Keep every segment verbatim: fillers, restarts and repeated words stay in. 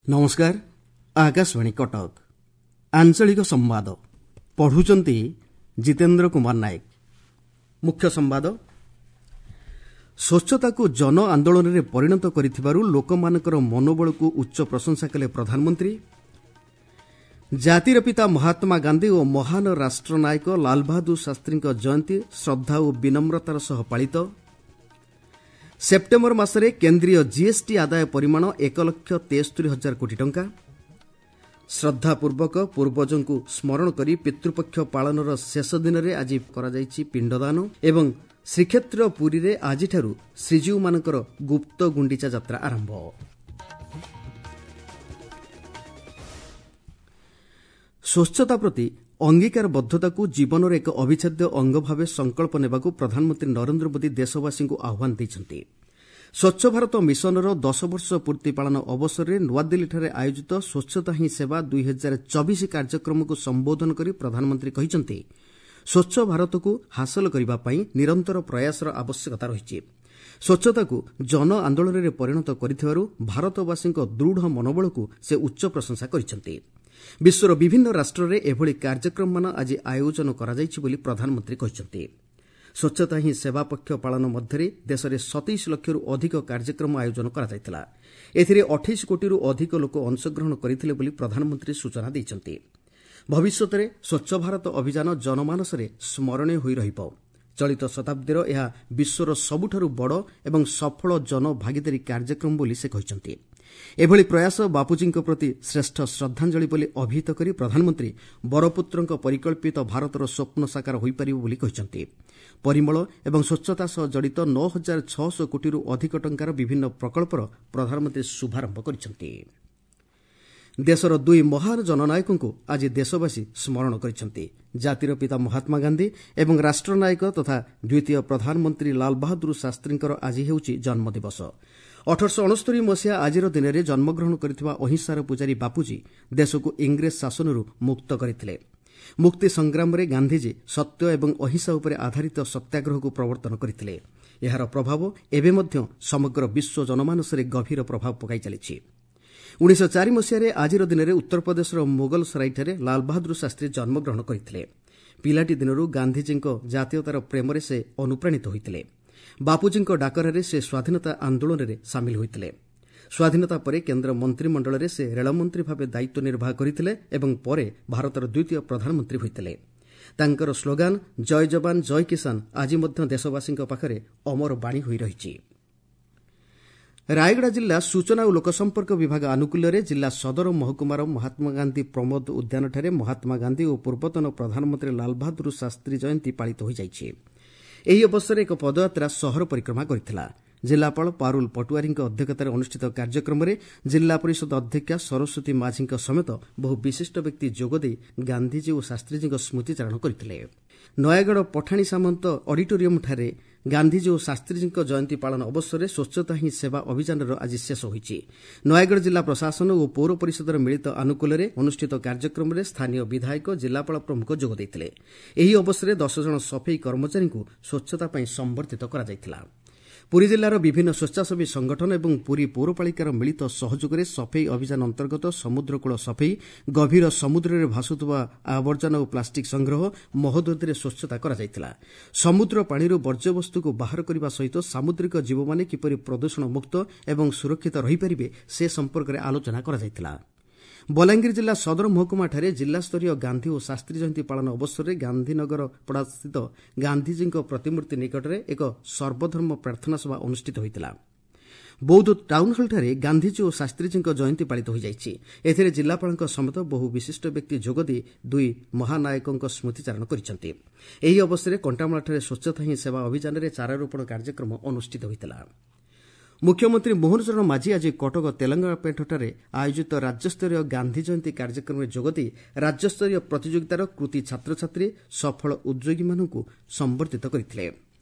ନମସ୍କାର, ଆକାଶବାଣୀ କଟକ, ଆଞ୍ଚଳିକ ସମ୍ବାଦ ପଢୁଛନ୍ତି ଜିତେନ୍ଦ୍ର କୁମାର ନାୟକ। ମୁଖ୍ୟ ସମ୍ବାଦ। ସ୍ୱଚ୍ଛତାକୁ ଜନ ଆନ୍ଦୋଳନରେ ପରିଣତ କରିଥିବାରୁ ଲୋକମାନଙ୍କର ମନୋବଳକୁ ଉଚ୍ଚ ପ୍ରଶଂସା କଲେ ପ୍ରଧାନମନ୍ତ୍ରୀ। ଜାତିର ପିତା ମହାତ୍ମା ଗାନ୍ଧୀ ଓ ମହାନ ରାଷ୍ଟ୍ରନାୟକ ଲାଲବାହାଦୁର ଶାସ୍ତ୍ରୀଙ୍କ ଜୟନ୍ତୀ ଶ୍ରଦ୍ଧା ଓ ବିନମ୍ରତାର ସହ ପାଳିତ। ସେପ୍ଟେମ୍ବର ମାସରେ କେନ୍ଦ୍ରୀୟ ଜିଏସ୍ଟି ଆଦାୟ ପରିମାଣ ଏକ ଲକ୍ଷ ତେସ୍ତରି ହଜାର କୋଟି ଟଙ୍କା। ଶ୍ରଦ୍ଧାପୂର୍ବକ ପୂର୍ବଜଙ୍କୁ ସ୍ମରଣ କରି ପିତୃପକ୍ଷ ପାଳନର ଶେଷ ଦିନରେ ଆଜି କରାଯାଇଛି ପିଣ୍ଡଦାନ ଏବଂ ଶ୍ରୀକ୍ଷେତ୍ର ପୁରୀରେ ଆଜିଠାରୁ ଶ୍ରୀଜୀଉମାନଙ୍କର ଗୁପ୍ତ ଗୁଣ୍ଡିଚା ଯାତ୍ରା ଆରମ୍ଭ। ସ୍ୱଚ୍ଛତା ପ୍ରତି ଅଙ୍ଗୀକାରବଦ୍ଧତାକୁ ଜୀବନର ଏକ ଅବିଚ୍ଛେଦ୍ୟ ଅଙ୍ଗ ଭାବେ ସଂକଳ୍ପ ନେବାକୁ ପ୍ରଧାନମନ୍ତ୍ରୀ ନରେନ୍ଦ୍ର ମୋଦି ଦେଶବାସୀଙ୍କୁ ଆହ୍ୱାନ ଦେଇଛନ୍ତି। ସ୍ୱଚ୍ଛ ଭାରତ ମିଶନର ଦଶ ବର୍ଷ ପୂର୍ତ୍ତି ପାଳନ ଅବସରରେ ନୂଆଦିଲ୍ଲୀଠାରେ ଆୟୋଜିତ ସ୍ୱଚ୍ଛତା ହିଁ ସେବା ଦୁଇ ହଜାର ଚବିଶ କାର୍ଯ୍ୟକ୍ରମକୁ ସମ୍ବୋଧନ କରି ପ୍ରଧାନମନ୍ତ୍ରୀ କହିଛନ୍ତି, ସ୍ୱଚ୍ଛ ଭାରତକୁ ହାସଲ କରିବା ପାଇଁ ନିରନ୍ତର ପ୍ରୟାସର ଆବଶ୍ୟକତା ରହିଛି। ସ୍ୱଚ୍ଛତାକୁ ଜନ ଆନ୍ଦୋଳନରେ ପରିଣତ କରିଥିବାରୁ ଭାରତବାସୀଙ୍କ ଦୃଢ଼ ମନୋବଳକୁ ସେ ଉଚ୍ଚ ପ୍ରଶଂସା କରିଛନ୍ତି। ବିଶ୍ୱର ବିଭିନ୍ନ ରାଷ୍ଟ୍ରରେ ଏଭଳି କାର୍ଯ୍ୟକ୍ରମମାନ ଆଜି ଆୟୋଜନ କରାଯାଇଛି ବୋଲି ପ୍ରଧାନମନ୍ତ୍ରୀ କହିଛନ୍ତି। ସ୍ୱଚ୍ଛତା ହିଁ ସେବା ପକ୍ଷ ପାଳନ ମଧ୍ୟରେ ଦେଶରେ ସତେଇଶ ଲକ୍ଷରୁ ଅଧିକ କାର୍ଯ୍ୟକ୍ରମ ଆୟୋଜନ କରାଯାଇଥିଲା। ଏଥିରେ ଅଠେଇଶ କୋଟିରୁ ଅଧିକ ଲୋକ ଅଂଶଗ୍ରହଣ କରିଥିଲେ ବୋଲି ପ୍ରଧାନମନ୍ତ୍ରୀ ସୂଚନା ଦେଇଛନ୍ତି। ଭବିଷ୍ୟତରେ ସ୍ୱଚ୍ଛ ଭାରତ ଅଭିଯାନ ଜନମାନସରେ ସ୍ମରଣୀୟ ହୋଇ ରହିବ। ଚଳିତ ଶତାବ୍ଦୀର ଏହା ବିଶ୍ୱର ସବୁଠାରୁ ବଡ଼ ଏବଂ ସଫଳ ଜନଭାଗିଦାରୀ କାର୍ଯ୍ୟକ୍ରମ ବୋଲି ସେ କହିଛନ୍ତି। ଏଭଳି ପ୍ରୟାସ ବାପୁଜୀଙ୍କ ପ୍ରତି ଶ୍ରେଷ୍ଠ ଶ୍ରଦ୍ଧାଞ୍ଜଳି ବୋଲି ଅଭିହିତ କରି ପ୍ରଧାନମନ୍ତ୍ରୀ ବରପୁତ୍ରଙ୍କ ପରିକଳ୍ପିତ ଭାରତର ସ୍ୱପ୍ନ ସାକାର ହୋଇପାରିବ ବୋଲି କହିଛନ୍ତି। ପରିମଳ ଏବଂ ସ୍ୱଚ୍ଛତା ସହ ଜଡ଼ିତ ନଅ ହଜାର ଛଅଶହ କୋଟିରୁ ଅଧିକ ଟଙ୍କାର ବିଭିନ୍ନ ପ୍ରକଳ୍ପର ପ୍ରଧାନମନ୍ତ୍ରୀ ଶୁଭାରମ୍ଭ କରିଛନ୍ତି। ଦେଶର ଦୁଇ ମହାନ ଜନନାୟକଙ୍କୁ ଆଜି ଦେଶବାସୀ ସ୍ମରଣ କରିଛନ୍ତି। ଜାତିର ପିତା ମହାତ୍ମା ଗାନ୍ଧୀ ଏବଂ ରାଷ୍ଟ୍ରନାୟକ ତଥା ଦ୍ୱିତୀୟ ପ୍ରଧାନମନ୍ତ୍ରୀ ଲାଲବାହାଦୁର ଶାସ୍ତ୍ରୀଙ୍କର ଆଜି ହେଉଛି ଜନ୍ମଦିବସ। ଅଠରଶହ ଅଣସ୍ତରୀ ମସିହା ଆଜିର ଦିନରେ ଜନ୍ମଗ୍ରହଣ କରିଥିବା ଅହିଂସାର ପୂଜାରୀ ବାପୁଜୀ ଦେଶକୁ ଇଂରେଜ ଶାସନରୁ ମୁକ୍ତ କରିଥିଲେ। ମୁକ୍ତି ସଂଗ୍ରାମରେ ଗାନ୍ଧିଜୀ ସତ୍ୟ ଏବଂ ଅହିଂସା ଉପରେ ଆଧାରିତ ସତ୍ୟାଗ୍ରହକୁ ପ୍ରବର୍ତ୍ତନ କରିଥିଲେ। ଏହାର ପ୍ରଭାବ ଏବେ ମଧ୍ୟ ସମଗ୍ର ବିଶ୍ୱ ଜନମାନସରେ ଗଭୀର ପ୍ରଭାବ ପକାଇ ଚାଲିଛି। ଉଣେଇଶହ ଚାରି ମସିହାରେ ଆଜିର ଦିନରେ ଉତ୍ତରପ୍ରଦେଶର ମୋଗଲସରାଇଠାରେ ଲାଲବାହାଦୁର ଶାସ୍ତ୍ରୀ ଜନ୍ମଗ୍ରହଣ କରିଥିଲେ। ପିଲାଟି ଦିନରୁ ଗାନ୍ଧିଜୀଙ୍କ ଜାତୀୟତାର ପ୍ରେମରେ ସେ ଅନୁପ୍ରାଣିତ ହୋଇଥିଲେ। ବାପୁଜୀଙ୍କ ଡାକରାରେ ସେ ସ୍ୱାଧୀନତା ଆନ୍ଦୋଳନରେ ସାମିଲ ହୋଇଥିଲେ। ସ୍ୱାଧୀନତା ପରେ କେନ୍ଦ୍ର ମନ୍ତ୍ରିମଣ୍ଡଳରେ ସେ ରେଳମନ୍ତ୍ରୀ ଭାବେ ଦାୟିତ୍ୱ ନିର୍ବାହ କରିଥିଲେ ଏବଂ ପରେ ଭାରତର ଦ୍ୱିତୀୟ ପ୍ରଧାନମନ୍ତ୍ରୀ ହୋଇଥିଲେ। ତାଙ୍କର ସ୍ଲୋଗାନ ଜୟ ଯବାନ ଜୟ କିଷାନ ଆଜି ମଧ୍ୟ ଦେଶବାସୀଙ୍କ ପାଖରେ ଅମର ବାଣୀ ହୋଇ ରହିଛି। ରାୟଗଡ଼ା ଜିଲ୍ଲା ସୂଚନା ଓ ଲୋକସମ୍ପର୍କ ବିଭାଗ ଆନୁକୂଲ୍ୟରେ ଜିଲ୍ଲା ସଦର ମହକୁମାର ମହାତ୍ମାଗାନ୍ଧୀ ପ୍ରମୋଦ ଉଦ୍ୟାନଠାରେ ମହାତ୍ମା ଗାନ୍ଧୀ ଓ ପୂର୍ବତନ ପ୍ରଧାନମନ୍ତ୍ରୀ ଲାଲବାହାଦୁର ଶାସ୍ତ୍ରୀ ଜୟନ୍ତୀ ପାଳିତ ହୋଇଯାଇଛି। ଏହି ଅବସରରେ ଏକ ପଦଯାତ୍ରା ସହର ପରିକ୍ରମା କରିଥିଲା। ଜିଲ୍ଲାପାଳ ପାରୁଲ ପଟୁଆରୀଙ୍କ ଅଧ୍ୟକ୍ଷତାରେ ଅନୁଷ୍ଠିତ କାର୍ଯ୍ୟକ୍ରମରେ ଜିଲ୍ଲା ପରିଷଦ ଅଧ୍ୟକ୍ଷା ସରସ୍ୱତୀ ମାଝୀଙ୍କ ସମେତ ବହୁ ବିଶିଷ୍ଟ ବ୍ୟକ୍ତି ଯୋଗଦେଇ ଗାନ୍ଧିଜୀ ଓ ଶାସ୍ତ୍ରୀଜୀଙ୍କ ସ୍ମୃତିଚାରଣ କରିଥିଲେ। ନୟାଗଡ଼ ପଠାଣି ସାମନ୍ତ ଅଡିଟୋରିୟମ୍ଠାରେ ଗାନ୍ଧିଜୀ ଓ ଶାସ୍ତ୍ରୀଜୀଙ୍କ ଜୟନ୍ତୀ ପାଳନ ଅବସରରେ ସ୍ୱଚ୍ଛତା ହିଁ ସେବା ଅଭିଯାନର ଆଜି ଶେଷ ହୋଇଛି। ନୟାଗଡ଼ ଜିଲ୍ଲା ପ୍ରଶାସନ ଓ ପୌର ପରିଷଦର ମିଳିତ ଆନୁକୂଲ୍ୟରେ ଅନୁଷ୍ଠିତ କାର୍ଯ୍ୟକ୍ରମରେ ସ୍ଥାନୀୟ ବିଧାୟକ, ଜିଲ୍ଲାପାଳ ପ୍ରମୁଖ ଯୋଗ ଦେଇଥିଲେ। ଏହି ଅବସରରେ ଦଶ ଜଣ ସଫେଇ କର୍ମଚାରୀଙ୍କୁ ସ୍ୱଚ୍ଛତା ପାଇଁ ସମ୍ବର୍ଦ୍ଧିତ କରାଯାଇଥିଲା। ପୁରୀ ଜିଲ୍ଲାର ବିଭିନ୍ନ ସ୍ୱେଚ୍ଛାସେବୀ ସଂଗଠନ ଏବଂ ପୁରୀ ପୌରପାଳିକାର ମିଳିତ ସହଯୋଗରେ ସଫେଇ ଅଭିଯାନ ଅନ୍ତର୍ଗତ ସମୁଦ୍ରକୂଳ ସଫେଇ, ଗଭୀର ସମୁଦ୍ରରେ ଭାସୁଥିବା ଆବର୍ଜନା ଓ ପ୍ଲାଷ୍ଟିକ୍ ସଂଗ୍ରହ, ମହୋଦଧିରେ ସ୍ୱଚ୍ଛତା କରାଯାଇଥିଲା। ସମୁଦ୍ର ପାଣିରୁ ବର୍ଜ୍ୟବସ୍ତୁକୁ ବାହାର କରିବା ସହିତ ସାମୁଦ୍ରିକ ଜୀବମାନେ କିପରି ପ୍ରଦୂଷଣ ମୁକ୍ତ ଏବଂ ସୁରକ୍ଷିତ ରହିପାରିବେ ସେ ସମ୍ପର୍କରେ ଆଲୋଚନା କରାଯାଇଥିଲା। ବଲାଙ୍ଗୀର ଜିଲ୍ଲା ସଦର ମହକୁମାଠାରେ ଜିଲ୍ଲାସ୍ତରୀୟ ଗାନ୍ଧୀ ଓ ଶାସ୍ତ୍ରୀ ଜୟନ୍ତୀ ପାଳନ ଅବସରରେ ଗାନ୍ଧୀନଗର ପଡ଼ାସ୍ଥିତ ଗାନ୍ଧିଜୀଙ୍କ ପ୍ରତିମୂର୍ତ୍ତି ନିକଟରେ ଏକ ସର୍ବଧର୍ମ ପ୍ରାର୍ଥନା ସଭା ଅନୁଷ୍ଠିତ ହୋଇଥିଲା। ବୌଦ୍ଧ ଟାଉନ୍ହଲ୍ଠାରେ ଗାନ୍ଧିଜୀ ଓ ଶାସ୍ତ୍ରୀଜୀଙ୍କ ଜୟନ୍ତୀ ପାଳିତ ହୋଇଯାଇଛି। ଏଥିରେ ଜିଲ୍ଲାପାଳଙ୍କ ସମେତ ବହୁ ବିଶିଷ୍ଟ ବ୍ୟକ୍ତି ଯୋଗଦେଇ ଦୁଇ ମହାନାୟକଙ୍କ ସ୍ମୃତିଚାରଣ କରିଛନ୍ତି। ଏହି ଅବସରରେ କଣ୍ଟାମାଳଠାରେ ସ୍ୱଚ୍ଛତା ହିଁ ସେବା ଅଭିଯାନରେ ଚାରାରୋପଣ କାର୍ଯ୍ୟକ୍ରମ ଅନୁଷ୍ଠିତ ହୋଇଥିଲା। ମୁଖ୍ୟମନ୍ତ୍ରୀ ମୋହନ ଚରଣ ମାଝୀ ଆଜି କଟକ ତେଲେଙ୍ଗାପେଣ୍ଠଠାରେ ଆୟୋଜିତ ରାଜ୍ୟସ୍ତରୀୟ ଗାନ୍ଧୀ ଜୟନ୍ତୀ କାର୍ଯ୍ୟକ୍ରମରେ ଯୋଗଦେଇ ରାଜ୍ୟସ୍ତରୀୟ ପ୍ରତିଯୋଗିତାର କୃତି ଛାତ୍ରଛାତ୍ରୀ, ସଫଳ ଉଦ୍ୟୋଗୀମାନଙ୍କୁ ସମ୍ବର୍ଦ୍ଧିତ କରିଥିଲେ।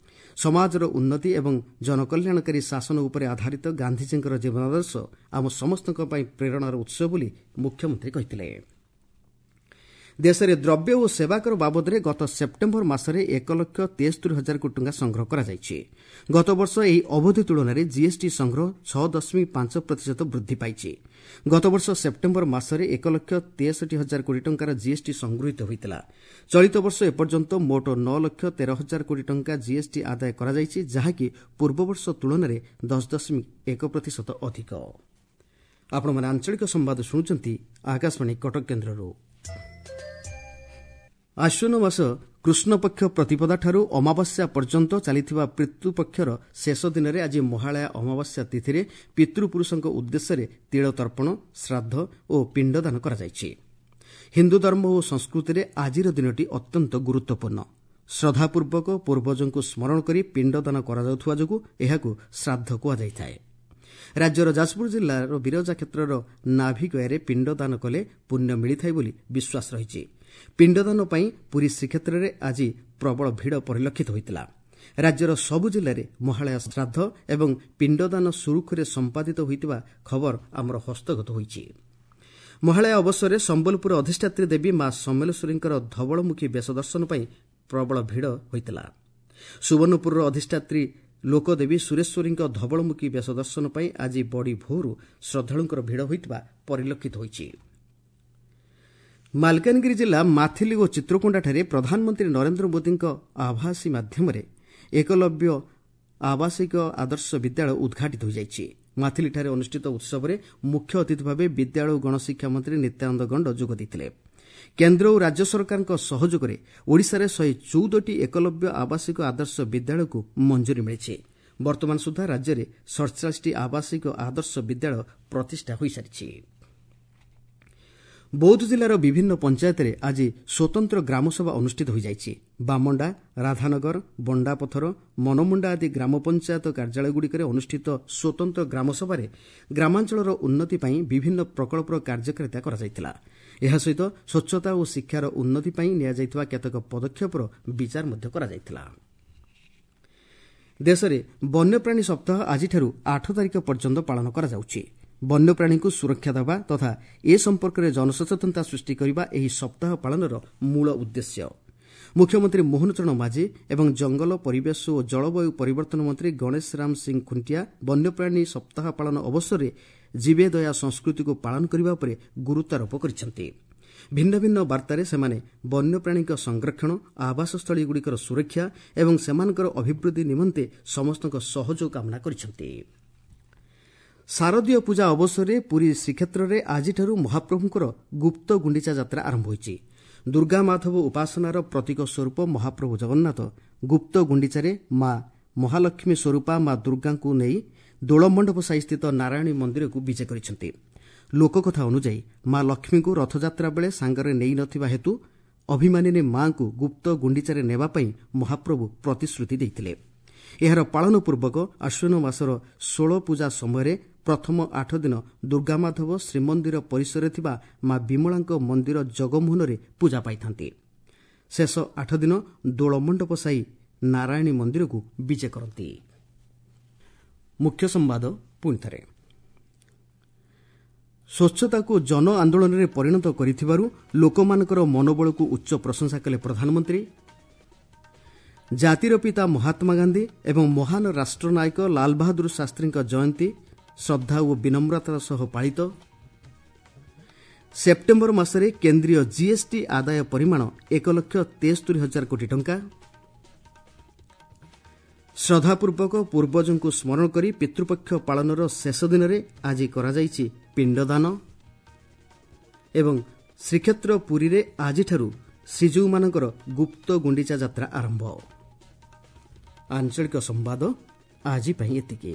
ସମାଜର ଉନ୍ନତି ଏବଂ ଜନକଲ୍ୟାଣକାରୀ ଶାସନ ଉପରେ ଆଧାରିତ ଗାନ୍ଧିଜୀଙ୍କର ଜୀବନାଦର୍ଶ ଆମ ସମସ୍ତଙ୍କ ପାଇଁ ପ୍ରେରଣାର ଉତ୍ସ ବୋଲି ମୁଖ୍ୟମନ୍ତ୍ରୀ କହିଥିଲେ। ଦେଶରେ ଦ୍ରବ୍ୟ ଓ ସେବାକର ବାବଦରେ ଗତ ସେପ୍ଟେମ୍ବର ମାସରେ ଏକ ଲକ୍ଷ ତେସ୍ତରି ହଜାର କୋଟି ଟଙ୍କା ସଂଗ୍ରହ କରାଯାଇଛି। ଗତବର୍ଷ ଏହି ଅବଧି ତୁଳନାରେ ଜିଏସ୍ଟି ସଂଗ୍ରହ ଛଅ ଦଶମିକ ପାଞ୍ଚ ପ୍ରତିଶତ ବୃଦ୍ଧି ପାଇଛି। ଗତବର୍ଷ ସେପ୍ଟେମ୍ବର ମାସରେ ଏକ ଲକ୍ଷ ତେଷଠି ହଜାର କୋଟି ଟଙ୍କାର ଜିଏସ୍ଟି ସଂଗୃହୀତ ହୋଇଥିଲା। ଚଳିତ ବର୍ଷ ଏପର୍ଯ୍ୟନ୍ତ ମୋଟ ନଅ ଲକ୍ଷ ତେର ହଜାର କୋଟି ଟଙ୍କା ଜିଏସ୍ଟି ଆଦାୟ କରାଯାଇଛି, ଯାହାକି ପୂର୍ବବର୍ଷ ତୁଳନାରେ ଦଶ ଦଶମିକ ଏକ ପ୍ରତିଶତ ଅଧିକ। ଆପଣମାନେ ଆଞ୍ଚଳିକ ସମ୍ବାଦ ଶୁଣୁଛନ୍ତି ଆକାଶବାଣୀ କଟକ କେନ୍ଦ୍ରରୁ। ଆଶ୍ୱିନ ମାସ କୃଷ୍ଣପକ୍ଷ ପ୍ରତିପଦାଠାରୁ ଅମାବାସ୍ୟା ପର୍ଯ୍ୟନ୍ତ ଚାଲିଥିବା ପିତୃପକ୍ଷର ଶେଷ ଦିନରେ ଆଜି ମହାଳୟା ଅମାବାସ୍ୟା ତିଥିରେ ପିତୃପୁରୁଷଙ୍କ ଉଦ୍ଦେଶ୍ୟରେ ତିଳତର୍ପଣ, ଶ୍ରାଦ୍ଧ ଓ ପିଣ୍ଡଦାନ କରାଯାଇଛି। ହିନ୍ଦୁ ଧର୍ମ ଓ ସଂସ୍କୃତିରେ ଆଜିର ଦିନଟି ଅତ୍ୟନ୍ତ ଗୁରୁତ୍ୱପୂର୍ଣ୍ଣ। ଶ୍ରଦ୍ଧାପୂର୍ବକ ପୂର୍ବଜଙ୍କୁ ସ୍ମରଣ କରି ପିଣ୍ଡଦାନ କରାଯାଉଥିବା ଯୋଗୁଁ ଏହାକୁ ଶ୍ରାଦ୍ଧ କୁହାଯାଇଥାଏ। ରାଜ୍ୟର ଯାଜପୁର ଜିଲ୍ଲାର ବିରଜା କ୍ଷେତ୍ରର ନାଭିଗୟାରେ ପିଣ୍ଡଦାନ କଲେ ପୁଣ୍ୟ ମିଳିଥାଏ ବୋଲି ବିଶ୍ୱାସ ରହିଛି। ପିଣ୍ଡଦାନ ପାଇଁ ପୁରୀ ଶ୍ରୀକ୍ଷେତ୍ରରେ ଆଜି ପ୍ରବଳ ଭିଡ଼ ପରିଲକ୍ଷିତ ହୋଇଥିଲା। ରାଜ୍ୟର ସବୁ ଜିଲ୍ଲାରେ ମହାଳୟା ଶ୍ରାଦ୍ଧ ଏବଂ ପିଣ୍ଡଦାନ ସୁରୁଖୁରୁରେ ସମ୍ପାଦିତ ହୋଇଥିବା ଖବର ଆମର ହସ୍ତଗତ ହୋଇଛି। ମହାଳୟା ଅବସରରେ ସମ୍ବଲପୁର ଅଧିଷ୍ଠାତ୍ରୀ ଦେବୀ ମା ସମଲେଶ୍ୱରୀଙ୍କର ଧବଳମୁଖୀ ବେଶ ଦର୍ଶନ ପାଇଁ ପ୍ରବଳ ଭିଡ଼ ହୋଇଥିଲା। ସୁବର୍ଣ୍ଣପୁରର ଅଧିଷ୍ଠାତ୍ରୀ ଲୋକଦେବୀ ସୁରେଶ୍ୱରୀଙ୍କ ଧବଳମୁଖୀ ବେଶ ଦର୍ଶନ ପାଇଁ ଆଜି ବଡ଼ି ଭୋରୁ ଶ୍ରଦ୍ଧାଳୁଙ୍କର ଭିଡ଼ ହୋଇଥିବା ପରିଲକ୍ଷିତ ହୋଇଛି। ମାଲକାନଗିରି ଜିଲ୍ଲା ମାଥିଲି ଓ ଚିତ୍ରକୋଣ୍ଡାଠାରେ ପ୍ରଧାନମନ୍ତ୍ରୀ ନରେନ୍ଦ୍ର ମୋଦିଙ୍କ ଆଭାସୀ ମାଧ୍ୟମରେ ଏକଲବ୍ୟ ଆବାସିକ ଆଦର୍ଶ ବିଦ୍ୟାଳୟ ଉଦ୍ଘାଟିତ ହୋଇଯାଇଛି। ମାଥିଲିଠାରେ ଅନୁଷ୍ଠିତ ଉତ୍ସବରେ ମୁଖ୍ୟ ଅତିଥି ଭାବେ ବିଦ୍ୟାଳୟ ଓ ଗଣଶିକ୍ଷା ମନ୍ତ୍ରୀ ନିତ୍ୟାନନ୍ଦ ଗଣ୍ଡ ଯୋଗ ଦେଇଥିଲେ। କେନ୍ଦ୍ର ଓ ରାଜ୍ୟ ସରକାରଙ୍କ ସହଯୋଗରେ ଓଡ଼ିଶାରେ ଶହେ ଚଉଦଟି ଏକଲବ୍ୟ ଆବାସିକ ଆଦର୍ଶ ବିଦ୍ୟାଳୟକୁ ମଞ୍ଜୁରୀ ମିଳିଛି। ବର୍ତ୍ତମାନ ସୁଦ୍ଧା ରାଜ୍ୟରେ ସଡ଼ଚାଳିଶଟି ଆବାସିକ ଆଦର୍ଶ ବିଦ୍ୟାଳୟ ପ୍ରତିଷ୍ଠା ହୋଇସାରିଛି। ବୌଦ୍ଧ ଜିଲ୍ଲାର ବିଭିନ୍ନ ପଞ୍ଚାୟତରେ ଆଜି ସ୍ୱତନ୍ତ୍ର ଗ୍ରାମସଭା ଅନୁଷ୍ଠିତ ହୋଇଯାଇଛି। ବାମଣ୍ଡା, ରାଧାନଗର, ବଣ୍ଡାପଥର, ମନମୁଣ୍ଡା ଆଦି ଗ୍ରାମପଞ୍ଚାୟତ କାର୍ଯ୍ୟାଳୟଗୁଡ଼ିକରେ ଅନୁଷ୍ଠିତ ସ୍ୱତନ୍ତ୍ର ଗ୍ରାମସଭାରେ ଗ୍ରାମାଞ୍ଚଳର ଉନ୍ନତି ପାଇଁ ବିଭିନ୍ନ ପ୍ରକଳ୍ପର କାର୍ଯ୍ୟକାରିତା କରାଯାଇଥିଲା। ଏହା ସହିତ ସ୍ୱଚ୍ଛତା ଓ ଶିକ୍ଷାର ଉନ୍ନତି ପାଇଁ ନିଆଯାଇଥିବା କେତେକ ପଦକ୍ଷେପର ବିଚାର ମଧ୍ୟ କରାଯାଇଥିଲା। ଦେଶରେ ବନ୍ୟପ୍ରାଣୀ ସପ୍ତାହ ଆଜିଠାରୁ ଆଠ ତାରିଖ ପର୍ଯ୍ୟନ୍ତ ପାଳନ କରାଯାଉଛି। ବନ୍ୟପ୍ରାଣୀଙ୍କୁ ସୁରକ୍ଷା ଦେବା ତଥା ଏ ସମ୍ପର୍କରେ ଜନସଚେତନତା ସୃଷ୍ଟି କରିବା ଏହି ସପ୍ତାହ ପାଳନର ମୂଳ ଉଦ୍ଦେଶ୍ୟ। ମୁଖ୍ୟମନ୍ତ୍ରୀ ମୋହନ ଚରଣ ମାଝୀ ଏବଂ ଜଙ୍ଗଲ, ପରିବେଶ ଓ ଜଳବାୟୁ ପରିବର୍ତ୍ତନ ମନ୍ତ୍ରୀ ଗଣେଶ ରାମ ସିଂ ଖୁଣ୍ଟିଆ ବନ୍ୟପ୍ରାଣୀ ସପ୍ତାହ ପାଳନ ଅବସରରେ ଜୀବେ ଦୟା ସଂସ୍କୃତିକୁ ପାଳନ କରିବା ଉପରେ ଗୁରୁତ୍ୱାରୋପ କରିଛନ୍ତି। ଭିନ୍ନ ଭିନ୍ନ ବାର୍ତ୍ତାରେ ସେମାନେ ବନ୍ୟପ୍ରାଣୀଙ୍କ ସଂରକ୍ଷଣ, ଆବାସସ୍ଥଳୀଗୁଡ଼ିକର ସୁରକ୍ଷା ଏବଂ ସେମାନଙ୍କର ଅଭିବୃଦ୍ଧି ନିମନ୍ତେ ସମସ୍ତଙ୍କ ସହଯୋଗ କାମନା କରିଛନ୍ତି। ଶାରଦୀୟ ପୂଜା ଅବସରରେ ପୁରୀ ଶ୍ରୀକ୍ଷେତ୍ରରେ ଆଜିଠାରୁ ମହାପ୍ରଭୁଙ୍କର ଗୁପ୍ତ ଗୁଣ୍ଡିଚା ଯାତ୍ରା ଆରମ୍ଭ ହୋଇଛି। ଦୁର୍ଗା ମାଧବ ଉପାସନାର ପ୍ରତୀକ ସ୍ୱରୂପ ମହାପ୍ରଭୁ ଜଗନ୍ନାଥ ଗୁପ୍ତ ଗୁଣ୍ଡିଚାରେ ମା ମହାଲକ୍ଷ୍ମୀ ସ୍ୱରୂପା ମା ଦୁର୍ଗାଙ୍କୁ ନେଇ ଦୋଳମଣ୍ଡପ ସାହିସ୍ଥିତ ନାରାୟଣୀ ମନ୍ଦିରକୁ ବିଜେ କରିଛନ୍ତି। ଲୋକକଥା ଅନୁଯାୟୀ ମା ଲକ୍ଷ୍ମୀଙ୍କୁ ରଥଯାତ୍ରା ବେଳେ ସାଙ୍ଗରେ ନେଇନଥିବା ହେତୁ ଅଭିମାନିନୀ ମାଙ୍କୁ ଗୁପ୍ତ ଗୁଣ୍ଡିଚାରେ ନେବା ପାଇଁ ମହାପ୍ରଭୁ ପ୍ରତିଶ୍ରୁତି ଦେଇଥିଲେ। ଏହାର ପାଳନ ପୂର୍ବକ ଆଶ୍ୱିନ ମାସର ଷୋଳ ପୂଜା ସମୟରେ ପ୍ରଥମ ଆଠ ଦିନ ଦୁର୍ଗାମାଧବ ଶ୍ରୀମନ୍ଦିର ପରିସରରେ ଥିବା ମା ବିମଳାଙ୍କ ମନ୍ଦିର ଜଗମୋହନରେ ପୂଜା ପାଇଥାନ୍ତି। ଶେଷ ଆଠ ଦିନ ଦୋଳମଣ୍ଡପ ସାହି ନାରାୟଣୀ ମନ୍ଦିରକୁ ବିଜେ କରନ୍ତି। ମୁଖ୍ୟ ସମ୍ବାଦ ପୁଣିଥରେ। ସ୍ୱଚ୍ଛତାକୁ ଜନ ଆନ୍ଦୋଳନରେ ପରିଣତ କରିଥିବାରୁ ଲୋକମାନଙ୍କର ମନୋବଳକୁ ଉଚ୍ଚ ପ୍ରଶଂସା କଲେ ପ୍ରଧାନମନ୍ତ୍ରୀ। ଜାତିର ପିତା ମହାତ୍ମା ଗାନ୍ଧୀ ଏବଂ ମହାନ ରାଷ୍ଟ୍ରନାୟକ ଲାଲବାହାଦୁର ଶାସ୍ତ୍ରୀଙ୍କ ଜୟନ୍ତୀ ଶ୍ରଦ୍ଧା ଓ ବିନମ୍ରତାର ସହ ପାଳିତ। ସେପ୍ଟେମ୍ବର ମାସରେ କେନ୍ଦ୍ରୀୟ ଜିଏସ୍ଟି ଆଦାୟ ପରିମାଣ ଏକ ଲକ୍ଷ ତେସ୍ତରି ହଜାର କୋଟି ଟଙ୍କା। ଶ୍ରଦ୍ଧାପୂର୍ବକ ପୂର୍ବଜଙ୍କୁ ସ୍ମରଣ କରି ପିତୃପକ୍ଷ ପାଳନର ଶେଷ ଦିନରେ ଆଜି କରାଯାଇଛି ପିଣ୍ଡଦାନ। ଏବଂ ଶ୍ରୀକ୍ଷେତ୍ର ପୁରୀରେ ଆଜିଠାରୁ ଶ୍ରୀଜୀଉମାନଙ୍କର ଗୁପ୍ତ ଗୁଣ୍ଡିଚା ଯାତ୍ରା ଆରମ୍ଭ। ଆଞ୍ଚଳିକ ସମ୍ବାଦ ଆଜି ପାଇଁ ଏତିକି।